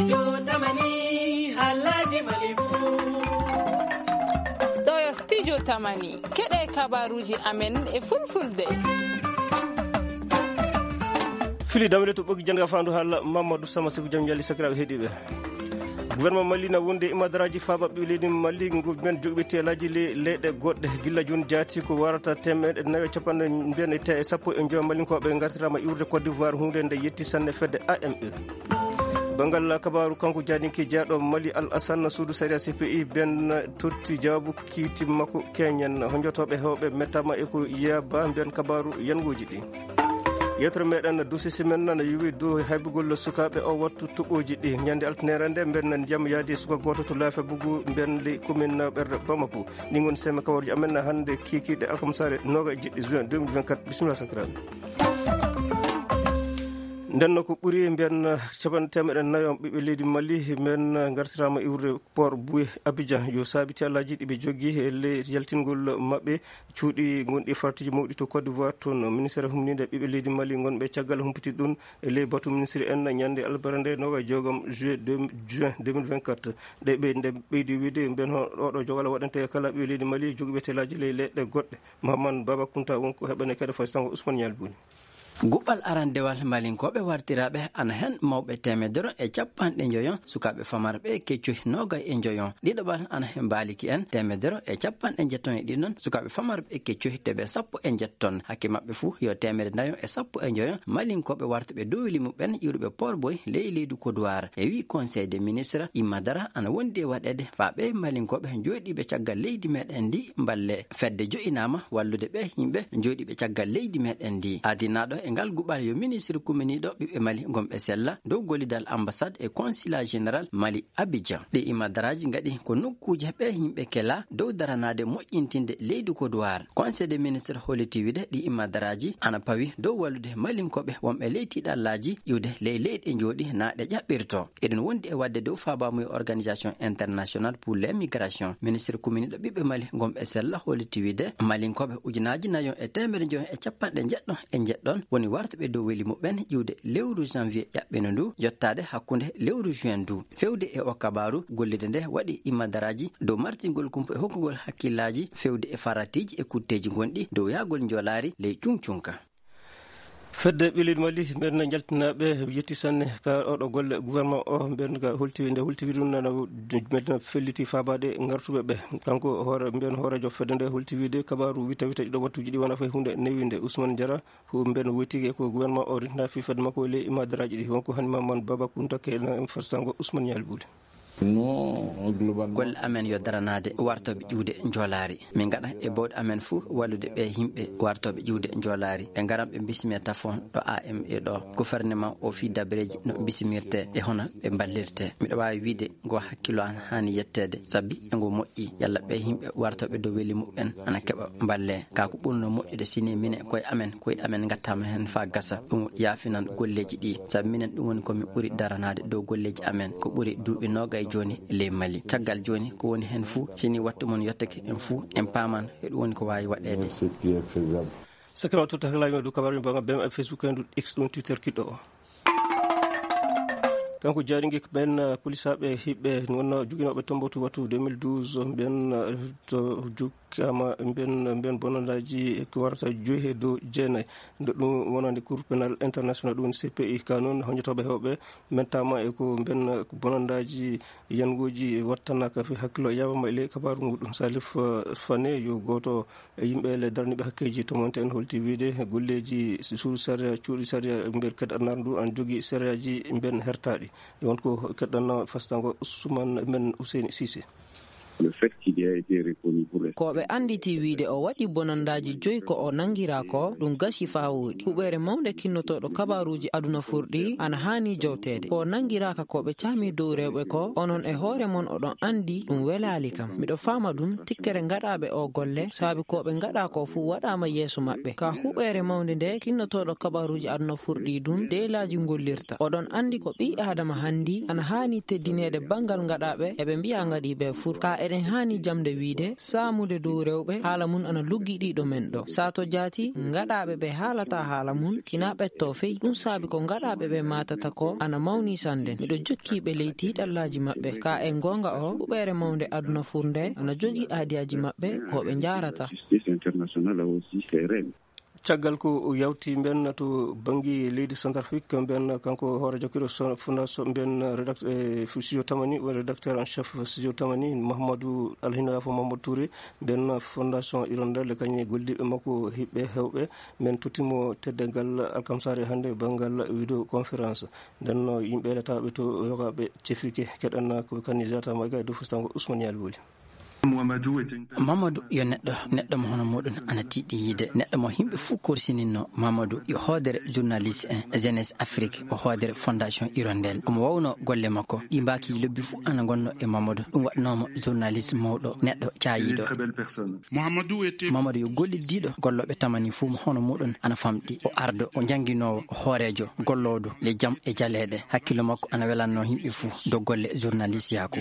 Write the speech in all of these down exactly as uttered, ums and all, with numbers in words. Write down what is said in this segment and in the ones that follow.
Jotamani, halaji malibu. Ɗo yo studio Tamani, keɗe kabaruji amen e fulfulde. Fili damre to ɓogi janga fandu hala Mamadou Sama Sekou, jam yalli sakiraɓe heɗiɓe. Gouvernement Mali na wonde e madaraaji faabaɓe leydi Mali, ngu men jogiiɓe teelaaji le-, leyɗe goɗɗe. Gilla jooni jaati ko warata teemeɗɗe nayo e capanɗe mbiyen e te-, e sappo e joy Malinkooɓe ngartiraama iwrude Côte d'Ivoire, huunde nde yetti sanne fedde A M E. Banngal kabaaru, kanko jaadinke jeyaaɗo Mali Al Assane, suudu sariya C P I ben totti jawaabu kiiti makko keñen. Honjotooɓe heewɓe mettaama e ko yaba mbiyen kabaaru yanngooji ɗi. Yewtere meɗen dossier semaine nana yowi dow haybugol sukaaɓe o wattu toɓooji ɗi. Ñande altine nde mbeɗen ndiyam yaadi suka gooto to Laafe Bugu, mbeɗen ley commune Ɓerɗe Bamako. Ɗi ngoni seme kawarji amen hannde kikiiɗe alkamsaare noogaye e jeɗɗi juin deux mille vingt-quatre. Bisimilla sakiraaɓe. Nden no ko ɓuri mbiyen capanɗe teemeɗe nayo ɓiɓɓe leydi Mali, men ngartiraama iwrude port Boué Abidjan. Yo saabi teelaaji ɗi ɓe jogii e ley yaltingol maɓɓe cuuɗi gonɗi e fartiji mawɗi to Côte d'Ivoire. Toon ministére humninde ɓiɓɓe leydi Mali ngonɓe caggal humpiti ɗum e ley batu ministre en ñande albara nde noogaye e joogom juillet deux, juin deux mille vingt-quatre. Ɗe ɓeyde, ɓeydi wiide mben ho-, oɗo jogal waɗante kala ɓiɓɓe leydi Mali jogiiɓe teelaaji ley leyɗe goɗɗe. Mahaman Baba Kunta won ko heɓane kadi fasitango Ousmane Ñal Buni. Guɓɓal arandewal Malinkooɓe wartiraaɓe ana heen mawɓe teemedere e capanɗe njoyo, sukaaɓe famarɓe e keccohi noogaye e njoyo. Ɗiɗaɓal ana heen mbaaliki en teemedere e capanɗe njetton e ɗiɗon, sukaaɓe famarɓe e keccohi teɓe sappo e njetton. Hakke maɓɓe fuu yo teemedere nayo e sappo e njoyo Malinkooɓe wartuɓe dowli muɓɓen iwruɓe Port Boy ley leydi Côte d'Ivoire. E wii Conseil des ministres, Imma Dara ana wondi e waɗeede faa ɓee Malinkooɓe jooɗiiɓe caggal leydi meɗen ndi mballe. Fedde jo'inaama wallude ɓee yimɓe jooɗiiɓe caggal leydi meɗen ndi. Adinaaɗo e ngal guɓal yo ministre kuminiiɗo ɓiɓɓe Mali ngonɓe sella dow gollidal ambassade e consulat général Mali Abidjan. Ɗi imadaraaji ngaɗi ko nokkuuje ɓee yimɓe kela dow daranaade moƴƴintinde leydi Côte d'Ivoire. Conseil des ministres holliti wiide ɗi imadaraaji ana pawi dow wallude Malinkooɓe wonɓe ley tiiɗallaaji iwde ley leyɗe njooɗi naa ɗe ƴaɓɓirto. Eɗen wondi e waɗde dow faabaamuya Organisation Internationale pour les Migrations. Ministre kuminiiɗo ɓiɓɓe Mali ngonɓe sella holliti wiide Malinkooɓe ujunaaji nayo e teemedere njoyo e capanɗe njeɗɗo e njeɗɗon woni wartuɓe dow weli muɓɓen iwde lewru janvier ƴaɓɓino ndu, yottaade hakkunde lewru juin ndu. Fewde e o kabaaru, gollirde nde waɗi imadaraaji dow martingol kumpa e hokkugol hakkillaaji fewde e faratiiji e kutteeji gonɗi dow yahgol njoolaari ley cuŋcuŋka. Fedde ɓiɓɓe leydi Mali, mbeɗen njaltinaaɓe yetti sanne ka oɗo golle gouvernement o, mbeɗen ka holti, nde holti wiɗum nana, mbeɗen felliti faabaade ngartuɓe ɓe. Kanko hoore, mbeɗen hooreejo fedde nde holti wiide kabaaru wita wita ɗiɗo wattuuji ɗi wona fay huunde newinde. Ousmane Diarra, hu-, mbeɗen woytike ko gouvernement o rintinaa fii fedde makko e ley imadaraaji ɗi. Wonko hani Mamadou Baba Kunta keɗna en farsango Ousmane Ñal Buude. Non, globalement. Golle amen yo daranaade wartooɓe ƴuwde njoolaari. Min ngaɗa e bawɗe amen fuu wallude ɓee yimɓe wartooɓe ƴuwde njoolaari. Ɓe ngaran ɓe mbisimee tafon ɗo A M E ɗo. Gouvernement o fii dabareeji no mbisimirtee e hono ɓe mballirtee. Miɗo waawi wiide ngo hakkillo an haani yetteede, sabi e ngo moƴƴi. Yalla ɓee yimɓe wartooɓe dow weli muɓɓen ana keɓa mballee. Kaa ko ɓurno moƴƴude si ni minen koye amen, koyɗe amen ngattaama heen faa gasa. Ɗum yaafinan golleeji ɗi. Sabi minen ɗum woni ko min ɓuri daranaade dow golleeji amen. Ko ɓuri duuɓi noogaye jooni ley Mali. Caggal jooni ko woni heen fuu, si ni wattu mon yottake en fuu, en paaman e ɗum woni ko waawi waɗeede. Merci, Pierre Faisal. Sakiraaɓe, totta hakkilaaji men dow kabaaruuji banngal B M F, Facebook, heen X, ɗum Twitter kiɗɗo o. Kanko jaaringe ko ɓen, eh, polisaaɓe hiɓɓe wonno joginooɓe Tombouctou wattu deux mille douze, ɓen, eh, to jokkaama ɓen, ɓen bonandaaji ko warata joyi e dow jeenayi. Nde ɗum wonande Cour pénal international, ɗum woni C P I, ka noon honjotooɓe heewɓe mettaama e ko ɓen bonandaaji yangooji wattanaaka fii hakkillo yaabama e ley kabaaru muɗum. Salif, eh, Fane, yo gooto e yimɓe le daraniiɓe hakkeeji tomonte en holti wiide golleeji suudu sariya, cuuɗi sariya mbeɗ keɗɗannaar ndu an jogii sariyaaji mbeɗ hertaaɗi. Won ko keɗɗanno fastango Ousmane men Ousseyni Cissé. Le fait qu'il y a été reconnu pour... Ko ɓe annditi wiide o waɗi bonandaaji joyi ko o nanngiraa ko, ɗum gasi faa wooɗi. Huɓeere mawnde kinnotooɗo kabaaruuji aduna furɗi ana haani jowteede. Ko o nanngiraaka ko ɓe caami dow rewɓe ko, onon e hoore mon oɗon anndi ɗum welaali kam. Miɗo faama ɗum, tikkere ngaɗaaɓe o golle, saabi ko ɓe ngaɗa ko fuu waɗaama yeeso maɓɓe. Ka huɓeere mawnde nde, kinnotooɗo kabaaruuji aduna furɗi ɗum, deelaaji ngollirta. Oɗon anndi ko ɓii Aadama hanndi ana haani teddineede banngal ngaɗaaɓe, eɓe mbiya ngaɗiiɓe fur. Ka e En haani jamde wiyde saamude dow rewɓe haala mum ana luggi ɗiɗo men ɗo. Sato jaati, ngaɗaaɓe ɓe haalata haala mum kina ɓetto fey. Ɗum saabi ko ngaɗaaɓe ɓe maatata ko ana mawni sande. Miɗo jokki ɓe ley tiiɗallaaji maɓɓe. Ka e goonga o, huɓeere mawnde aduna fur nde ana jogii aadiyaaji maɓɓe ko ɓe njaarata. Caggal ko yawti mben to banngi leydi Centrafrique, mben kanko hoore jokkiiɗo so-, fondation mben rédact-, eh, studio Tamani, woni rédacteur en chef studio Tamani, Mahamadou Alhina Yafo Mahamadou Touré, mben fondation Hirondelle, kañum e golliiɓe makko hiɓɓe hewɓe, mben tottimo teddeengal alkamsaare hannde banngal vidéo conférence. Nden no yimɓe letaaɓe to yogaaɓe cefike keɗanna ko kanni Zata Maga e dow fustango Ousmane Yali Woli. Mamadou yo neɗɗo, neɗɗo mo hono muɗum ana tiiɗi yiide, neɗɗo mo yimɓe fuu korsininno. Mamadou yo hoodere journaliste en, Jeunesse Afrique, o hoodere Fondation Hirondelle. Omo wawno golle makko, ɗi mbaakiji lobbi fuu ana ngonno e Mamadou. Ɗum waɗnoomo journaliste mawɗo, neɗɗo caayiiɗo. Mamadou yo gollidiiɗo gollooɓe Tamani fuu mo hono muɗum ana famɗi. O ardo, o jannginoowo, o hooreejo, golloodo le jam e jaleeɗe. Hakkillo makko ana welanno yimɓe fuu dow golle journaliste yaaku.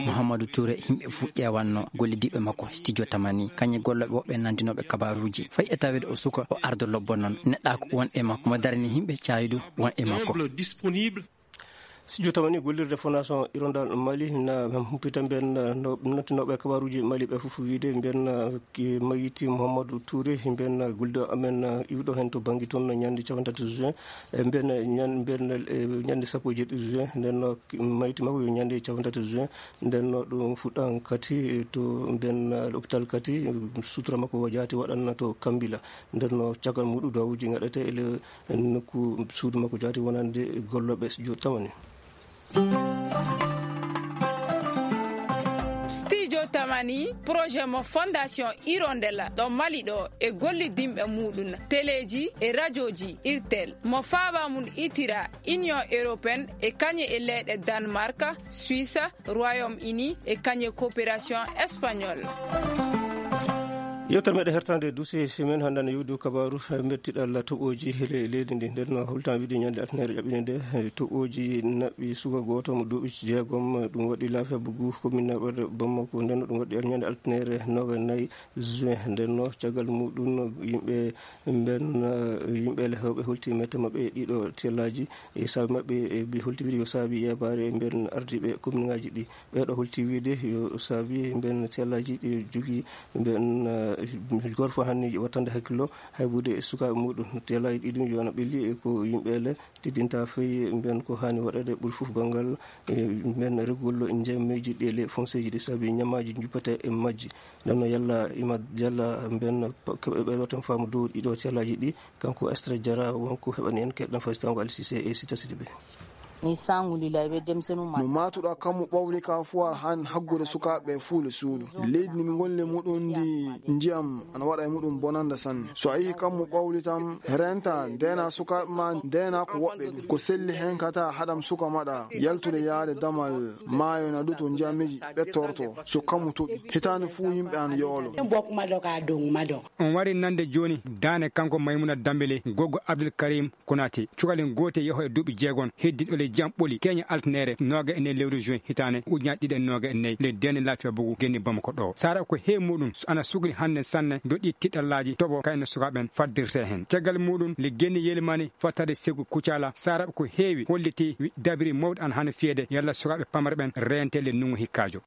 Mouhamadou Touré, yimɓe fuu ƴeewanno gollidiiɓe makko studio Tamani, kañum e gollooɓe woɓɓe nanndinooɓe kabaaruuji. Fay e taweede o suka, o ardo lobbo noon. Neɗɗaaku won e makko, mo darani yimɓe caayidu won e makko. Studio Tamani gollirde Fondation Hirondelle Mali na humpita mben, no, nottinooɓe kabaaruuji Mali ɓe fof wiyde mben, eh, mayiti Mouhamadou Touré, mben, eh, gollido amen, eh, iwɗo heen to bannge toon ñande cappanɗe tati juin, eh, mben, eh, ñan-, mben, eh, ñande sappo e jeeɗiɗi juin, nden no mayiti makko yo ñande cappanɗe tati juin, nden no ɗum fuɗɗan kati to mben, eh, l'hôpital kati, eh, sutura makko o jaati waɗan to Kambila, nden no caggal muɗum duwawuuji ngaɗete e le-, nokku suudu makko jaati wonande gollooɓe studio Tamani. Studio Tamani, projet mo Fondation Hirondelle ɗo Mali ɗo e gollidinɓe muɗum, teleeji e rajooji Irtel, mo faaba mum itira Union Européenne e kañe e leyɗe Danemark, Suisse, Royaume-Uni e kañe coopération espagnole. Yewtere meɗen hertande duusi simen hannde ne yewdi kabaaru mettiɗal toɓooji le-, leydi ndi. Nden no holtan wiide ñande altinere ƴaɓɓinde nde, eh, toɓooji naɓɓi suka gooto mo duuɓi jeegom, eh, ɗum waɗi laafiya bugu commune naɓere Bamako. Nden no ɗum waɗi ñande altinere noga nayi juin. Nden no caggal muɗum yimɓe mben, eh, yimɓe le hewɓe holti mette maɓɓe e ɗiɗo tellaji e saabi maɓɓe e bi holti wiide yo saabi yeebaare mben ardiiɓe commune ngaji ɗi. Ɓeeɗo holti wiide yo saabi mben sellaji ɗi jogii mben, eh, gorfo hanni wattande hakkillo hay buude e sukaaɓe muɗum. Sellaji ɗi ɗum yo na ɓelli e ko yimɓe le teddinta fey mben ko haani waɗede ɓuri fof banngal, eh, mben regugol njammeji ɗi e les foncier ji ɗi saabi ñamaji juppete e majji. Nden no yalla ima yalla mben keɓe ɓeeɗo tan faamu dow ɗiɗo sellaji ɗi. Kanko Estre Diarra wonko heɓani en keɗɗen fasitango Alsise e Sita Sidibe. Ni sangu lilay ɓe demsenu ma. No matuɗa kammu ɓawli ka fuwar han haggude sukaaɓe fuule suudu. Leydi ni mi ngolli muɗum ndi ndiyam ana waɗa e muɗum bonanda sanne. So a yihi kammu ɓawli tam, renta, ndena sukaaɓe ma, ndena ko woɓɓe ɗum. Ko selli hen kata haɗam suka maɗa, yaltude yaade damal maayo na ɗuto ndiyamiji ɓettorto. So kammu toɓi, hitaande fuu yimɓe an yoolo. Bok ma doka dong ma dong. On wari nande jooni daane kanko Maymuna Dambele, goggo Abdul Karim Konate. Cukalel gootel yaho e duuɓi jeegom, heddi ɗo le jam ɓoli, keña altinere, nooga e nayi lewru juin hitaande ujunaaji ɗiɗi e nooga e nayi, le dene Lafiya Bugu, genni Bamako ɗo. Sara ko heewi muɗum, so ana sugli hannde sanne, doɗɗi tiɗallaaji, toɓo kayno sukaaɓe ɓen faddirte heen. Caggal muɗum, le genni yelimani fottade segu Kucala, Sara ko heewi holliti, wi dabiri mawɗo an hano fiyede, yalla sukaaɓe pamre ɓen reente le nungu hikkaajo.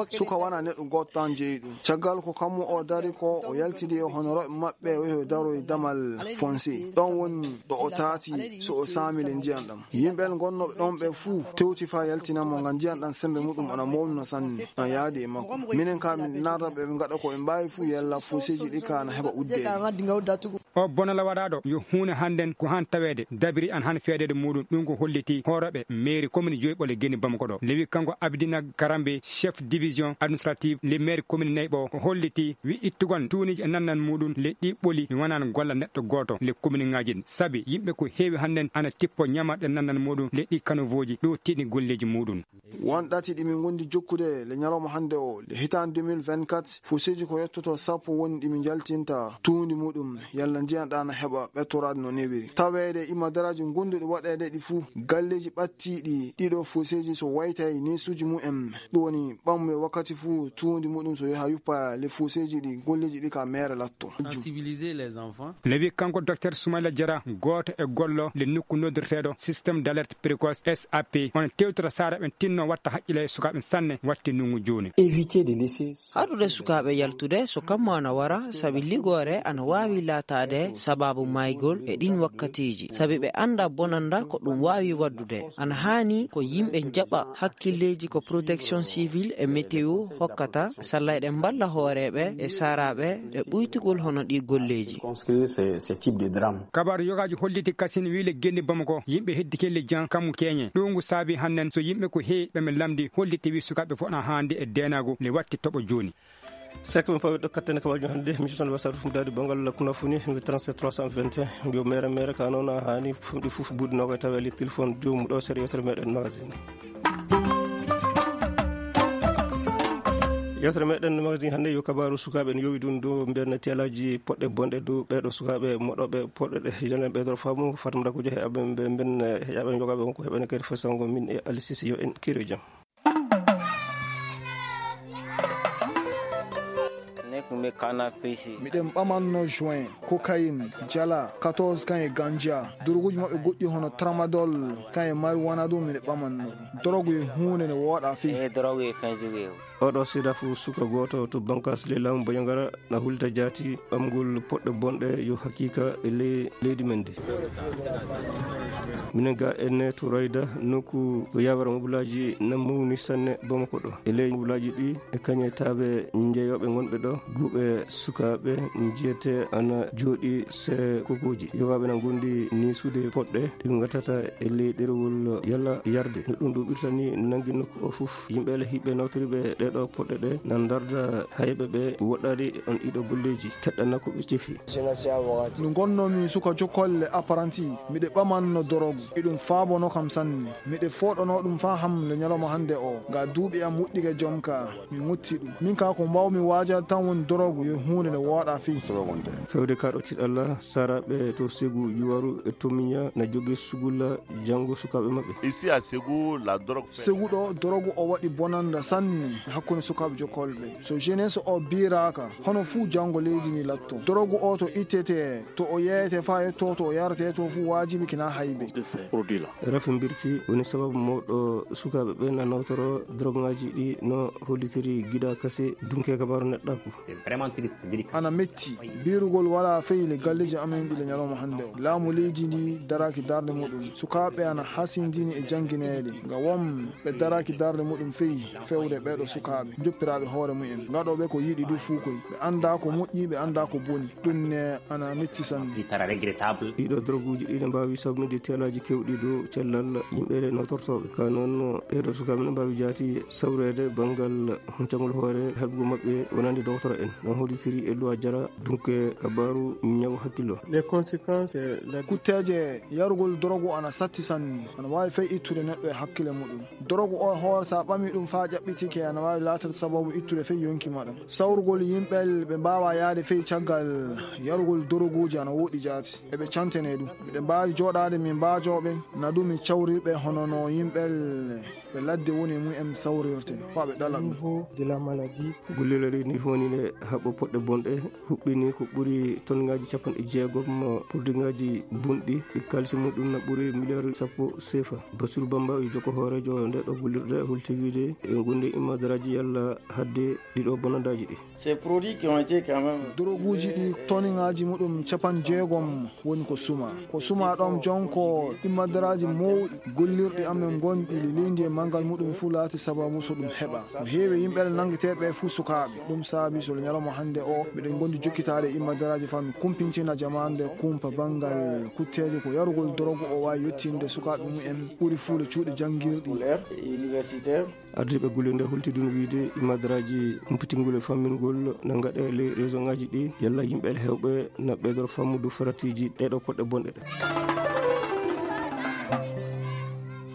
Suka wana neɗɗo gooto tan jeyi ɗum. Caggal ko kammu o dari ko, o yaltidi e honorooɓe maɓɓe, o yahi o daroyi damal fonse. Ɗon woni ɗo o taati so o saami le ndiyan ɗam. Yimɓe ɓen gonnooɓe ɗon ɓe fuu tewti faa yaltina mo, ngam ndiyan ɗam sembe muɗum ana mawni no sanne, na yaadi e makko. Minen ka min narra ɓe, ɓe ngaɗa ko ɓe mbaawi fuu, yalla fonseji ɗi ka na heɓa uddeede. O bonal waɗaaɗo yo huunde hannden ko han taweede, dabiri an han feedeede muɗum. Ɗum ko holliti hoorooɓe meeri komini joyi ɓole geni Bamako ɗo. Lewi kanko Abidina Karambe, chef division administrative le maire commune nayi ɓo, o holliti wi ittugol tuuniji e nannan muɗum le ɗi ɓoli mi wanan golla neɗɗo gooto le commune ŋaaji ɗin. Sabi yimɓe ko heewi hannden ana tippo ñamarɗe nannan muɗum. leɗɗi kanowooji ɗo tiiɗi golleeji muɗum. Won ɗati ɗi min ngondi jokkude le ñalawma hannde o, le hitaande deux mille vingt-quatre, fuseeji ko yottoto sappo woni ɗi min njaltinta tuundi muɗum, yalla ndiyan ɗan heɓa ɓettoraade no newiri. Taweede imadaraaji gonduɗi waɗeede ɗi fuu, galleeji ɓattiiɗi ɗiɗo fuseeji so waytay neesuuji mumen, ɗum woni ɓammuɓe wakkati fuu tuundi muɗum so yaha yuppa le fuseeji ɗi, golleeji ɗi ka meere latto. Sensibiliser les enfants. Lewi kanko Docteur Soumaïla Diarra, gooto e gollo le nokku noddirteeɗo système d'alerte précoce S A P, on tewtata saara ɓen tinno watta haqqile e sukaaɓe sanne watti nungu jooni. Éviter de laisser. Haɗude sukaaɓe yaltude so kammu ana wara, sabi ligoore ana waawi laataade sabaabu maygol e ɗin wakkatiiji, sabi ɓe annda bonanda ko ɗum waawi waddude. Ana haani ko yimɓe njaɓa hakkilleeji ko protection civile e météo hokkata, salla eɗen mballa hooreeɓe e saaraaɓe e ɓuytugol hono ɗi golleeji. Construire ces, ces types de drames. Kabaaru yogaaji holliti kasin wii le genni Bamako, yimɓe heddi kelle jan kammu keñe. Ɗo ngu saabi hannen so yimɓe ko heewi ɓe men lamdi holliti wii sukaaɓe fof na haandi e deenaagu le watti toɓo jooni. Sekko men pawi ɗo kattene kabaaji hannde, mission tan wasatu ɗum daadi banngal kunafuni, ngi trente-sept trois cent vingt et un, mbiyo mere mere ka noon a haani fumɗi fof buuɗi noga tawi ali téléphone joomum ɗo seeɗa yewtere meɗen magazine. Yewtere meɗen magazine hannde yo kabaaru sukaaɓe en yowi ɗum dow mbiyen tiyalaaji poɗɗe bonɗe dow ɓeeɗo sukaaɓe moɗoɓe poɗɗe ɗe jenen ɓeydoro faamu Fatma Dakujo heɓaɓe mbe mben heɓaɓe jogaɓe wonko heɓene kadi fasango min e Alice Sisi yo en kiro jam. Miɗen ɓamanno juin, cocaïne, jala, quatorze kan e ganja. Doroguuji maɓɓe goɗɗi hono tramadol, kan e marijuana ɗum miɗen ɓamanno ɗum. Dorogu e huunde nde wooɗa fii. Oɗo seeɗa fof suka gooto to bankas le laamu Bandiagara na hulta jaati ɓamgol poɗɗe bonɗe yo haqiqa e ley leydi men ndi. Minen ga enne to Rayda nokku ko yawara mobulaaji na mawni sanne Bamako ɗo. E ley mobulaaji ɗi e kañe taaɓe njeeyooɓe ngonɓe ɗo, guuɓe sukaaɓe njiyete ana jooɗi sere kokooji. Yogaaɓe na ngondi ni suude poɗɗe ɗi ngatata e ley ɗerewol yalla yarde. No ɗum ɗo ɓirtani nangi nokku o fof. Yimɓe le hiɓɓe nawtoriɓe ɗeɗo poɗɗe ɗe na ndarda hayɓe ɓe woɗɗaade on ɗiɗo golleeji keɗɗana ko ɓe cefi. No ngonnomi suka jokkolle apprenti, miɗe ɓamanno dorogu. Eɗum faabono kam sanne. Miɗe fooɗono ɗum faa ham le ñalawma hannde o. Ga duuɓi am wuɗɗike jonka, mi ŋutti ɗum. Min ka ko mbawmi waajade tan woni dorogu yo huunde nde wooɗa fii. Fewde ka ɗo tiɗalla, saraaɓe to Segu Yuwaru e Tomiña na jogi sugulla janngo sukaaɓe maɓɓe. Ici à Ségou, la drogue fait Segu ɗo, dorogu o waɗi bonanda sanne hakkunde sukaaɓe jokkolɓe. So jeunesse o biiraaka, hono fuu janngo leydi ndi latto. Dorogu o to ittete, to o yeeyete faa yetto to o yarete to fuu waajibi kina haybe. Rafi mbirki woni sababu mawɗo sukaaɓe ɓe na nawtoro droguŋaaji ɗi no hollitiri gida kase dunke kabaaru neɗɗaaku. C'est vraiment triste, mbirki. Ana metti, biirugol wala feyli galleeji amen ɗi le ñalawma hannde o. Laamu leydi ndi daraaki darnde muɗum. Sukaaɓe ana hasindini e janngineede. Nga won ɓe daraaki darnde muɗum fey fewde ɓeeɗo sukaaɓe, joppiraaɓe hoore mumen, ngaɗooɓe ko yiɗi du fuu koy. Ɓe anndaa ko moƴƴi, ɓe anndaa ko boni. Ɗum ne ana metti sanne. Ɗiɗo droguuji ɗi ne mbaawi sabbinde tiyalaaji keewɗi dow cellal yimɓe ɗe nawtortooɓe. Ka noon, ɓeeɗo sukaaɓe ne mbaawi jaati sawreede banngal huncangol hoore heɓgol maɓɓe wonande dogotoro en. No hollitiri e Luwa Jara, dunke kabaaru ñaw hakkillo. Les conséquences, euh, la Kutteeje yarugol dorogu ana satti sanne, ana waawi fey ittude neɗɗo e hakkile muɗum. Dorogu o hoore, so a ɓamii ɗum faa ƴaɓɓitike, ana waawi laatade sababu ittude fey yonki maɗa. Sawrugol yimɓe ɓe mbaawaa yaade fey caggal yarugol doroguuji ana woɗɗi jaati. Eɓe cantene ɗum. Miɗen mbaawi jooɗaade min mbaajoo ɓe, na ɗum min cawrir ɓe hono no yimɓe ɓe ladde woni e mumen sawrirte, faa ɓe ɗala ɗum. Niveau de la maladie. Gullirɗe ni woni ne haɓɓo poɗɗe bonɗe, huɓɓini ko ɓuri tonngaaji capanɗe jeegom produitŋaaji bonɗi, ɗi kaalisi muɗum na ɓuri miliyaaru sappo seefa. Basiru Bamba, o jokko hooreejo nde ɗo gullirɗe, holti wiide e ngonde imadaraaji yalla hadde ɗiɗo bonandaaji ɗi. Ces produits qui ont été quand même Doroguuji ɗi toniŋaaji muɗum capanɗe jeegom woni ko suma. Ko suma ɗoon jonko imadaraaji mawɗi gollirɗi amen ngonɗi leydi e manngal muɗum fuu laati sababu so ɗum heɓa. Ko heewi yimɓe nanngeteeɓe fuu sukaaɓe. Ɗum saabi so ñalawma hannde o, miɗen ngondi jokkitaade e imadaraaji faa mi kumpintina jamaande kumpa banngal kutteeje ko yarugol dorogu o waawi yettinde sukaaɓe mumen ɓuri fuu le cuuɗi janngirɗi. Scolaire et universitaire. Ardiiɓe gulle nde holti ɗum wiyde imadaraaji humpitingol e fammingol na ngaɗe ley réseauŋaaji ɗi, yalla yimɓe heewɓe na ɓeydoro fammudu faratiiji ɗeeɗo poɗɗe bonɗe ɗe.